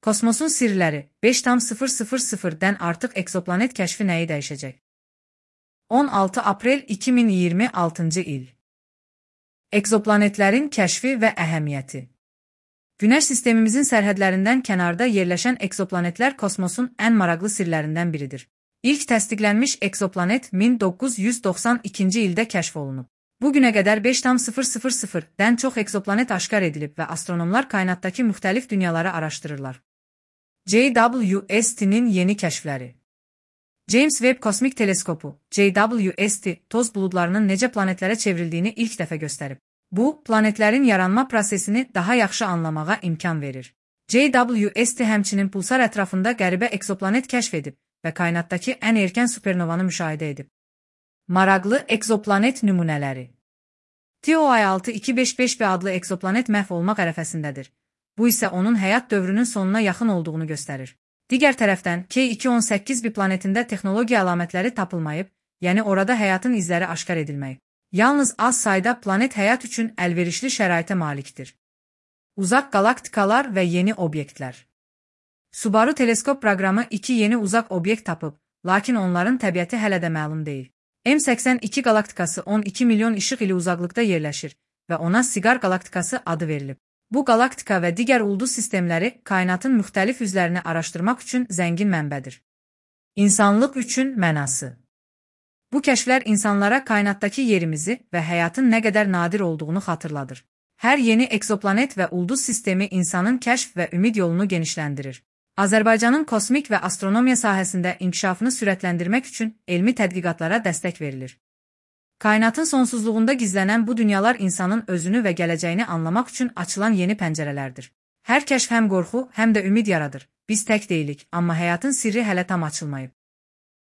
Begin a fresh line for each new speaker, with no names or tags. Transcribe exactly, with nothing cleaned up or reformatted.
Kosmosun sirləri beş nöqtə artıq eksoplanet kəşfi nəyi dəyişəcək? on altı aprel iki min iyirmi altıncı il. Ekzoplanetlərin kəşfi və əhəmiyyəti. Günəş sistemimizin sərhədlərindən kənarda yerləşən ekzoplanetlər kosmosun ən maraqlı sirlərindən biridir. İlk təsdiqlənmiş ekzoplanet min doqquz yüz doxsan ikinci ildə kəşf olunub. Bugünə qədər beş nöqtə çox ekzoplanet aşkar edilib və astronomlar kainatdakı müxtəlif dünyaları araşdırırlar. J W S T'nin yeni kəşfləri. James Webb Kosmik Teleskopu, J W S T, toz buludlarının necə planetlərə çevrildiyini ilk dəfə göstərib. Bu, planetlərin yaranma prosesini daha yaxşı anlamağa imkan verir. J W S T həmçinin pulsar ətrafında qəribə ekzoplanet kəşf edib və kainatdakı ən erkən supernovanı müşahidə edib. Maraqlı ekzoplanet nümunələri. T O I altı iki beş beş B adlı ekzoplanet məhv olmaq ərəfəsindədir. Bu isə onun həyat dövrünün sonuna yaxın olduğunu göstərir. Digər tərəfdən, K iki on səkkiz B planetində texnologiya əlamətləri tapılmayıb, yəni orada həyatın izləri aşkar edilməyib. Yalnız az sayda planet həyat üçün əlverişli şəraitə malikdir. Uzaq qalaktikalar və yeni obyektlər. Subaru teleskop proqramı iki yeni uzaq obyekt tapıb, lakin onların təbiəti hələ də məlum deyil. M səksən iki qalaktikası on iki milyon işıq ili uzaqlıqda yerləşir və ona Siqar qalaktikası adı verilib. Bu qalaktika və digər ulduz sistemləri kainatın müxtəlif üzlərini araşdırmaq üçün zəngin mənbədir. İnsanlıq üçün mənası. Bu kəşflər insanlara kainatdakı yerimizi və həyatın nə qədər nadir olduğunu xatırladır. Hər yeni ekzoplanet və ulduz sistemi insanın kəşf və ümid yolunu genişləndirir. Azərbaycanın kosmik və astronomiya sahəsində inkişafını sürətləndirmək üçün elmi tədqiqatlara dəstək verilir. Kainatın sonsuzluğunda gizlənən bu dünyalar insanın özünü və gələcəyini anlamaq üçün açılan yeni pəncərələrdir. Hər kəşf həm qorxu, həm də ümid yaradır. Biz tək deyilik, amma həyatın sirri hələ tam açılmayıb.